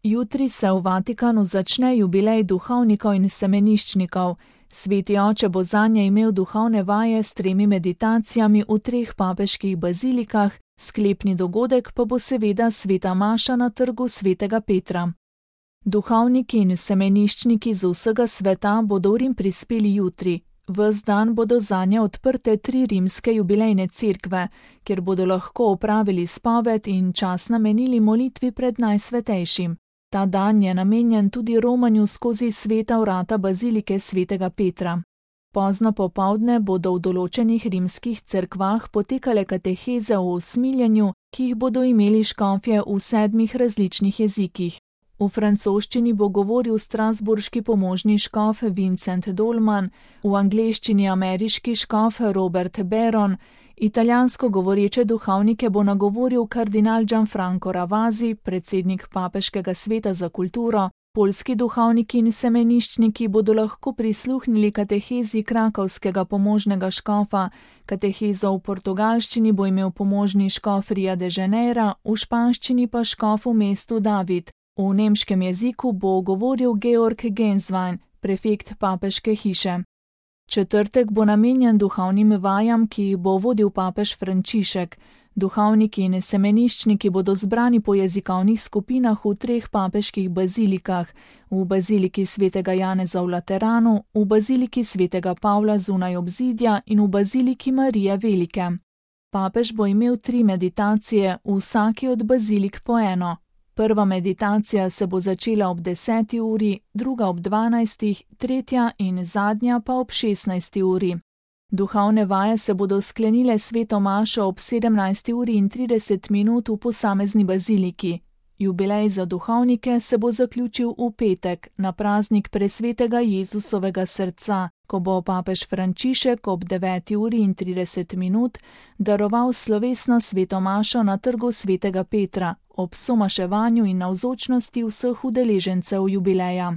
Jutri se v Vatikanu začne jubilej duhovnikov in semeniščnikov. Sveti oče bo zanje imel duhovne vaje s 3 meditacijami v 3 papeških bazilikah, sklepni dogodek pa bo seveda sveta maša na trgu svetega Petra. Duhovniki in semeniščniki z vsega sveta bodo v Rim prispeli jutri. Ves dan bodo zanje odprte 3 rimske jubilejne cerkve, kjer bodo lahko opravili spoved in čas namenili molitvi pred Najsvetejšim. Ta dan je namenjen tudi romanju skozi sveta vrata bazilike svetega Petra. Pozno popoldne bodo v določenih rimskih cerkvah potekale kateheze o usmiljenju, ki jih bodo imeli škofje v 7 različnih jezikih. V francoščini bo govoril strasbourški pomožni škof Vincent Dolman, v angleščini ameriški škof Robert Barron, italijansko govoreče duhovnike bo nagovoril kardinal Gianfranco Ravasi, predsednik Papeškega sveta za kulturo, poljski duhovniki in semeniščniki bodo lahko prisluhnili katehezi krakovskega pomožnega škofa, katehezo v portugalščini bo imel pomožni škof Rio de Janeira, v španščini pa škof v mestu David. V nemškem jeziku bo govoril Georg Genswein, prefekt papeške hiše. Četrtek bo namenjen duhovnim vajam, ki jih bo vodil papež Frančišek. Duhovniki in semeniščniki bodo zbrani po jezikovnih skupinah v 3 papeških bazilikah, v baziliki svetega Janeza v Lateranu, v baziliki svetega Pavla zunaj obzidja in v baziliki Marije Velike. Papež bo imel 3 meditacije, v vsaki od bazilik po eno. Prva meditacija se bo začela ob 10. uri, druga ob 12., tretja in zadnja pa ob 16. uri. Duhovne vaje se bodo sklenile sveto mašo ob 17:30 v posamezni baziliki. Jubilej za duhovnike se bo zaključil v petek, na praznik presvetega Jezusovega srca, ko bo papež Frančišek ob 9:30 daroval slovesno sveto mašo na trgu svetega Petra, ob somaševanju in navzočnosti vseh udeležencev jubileja.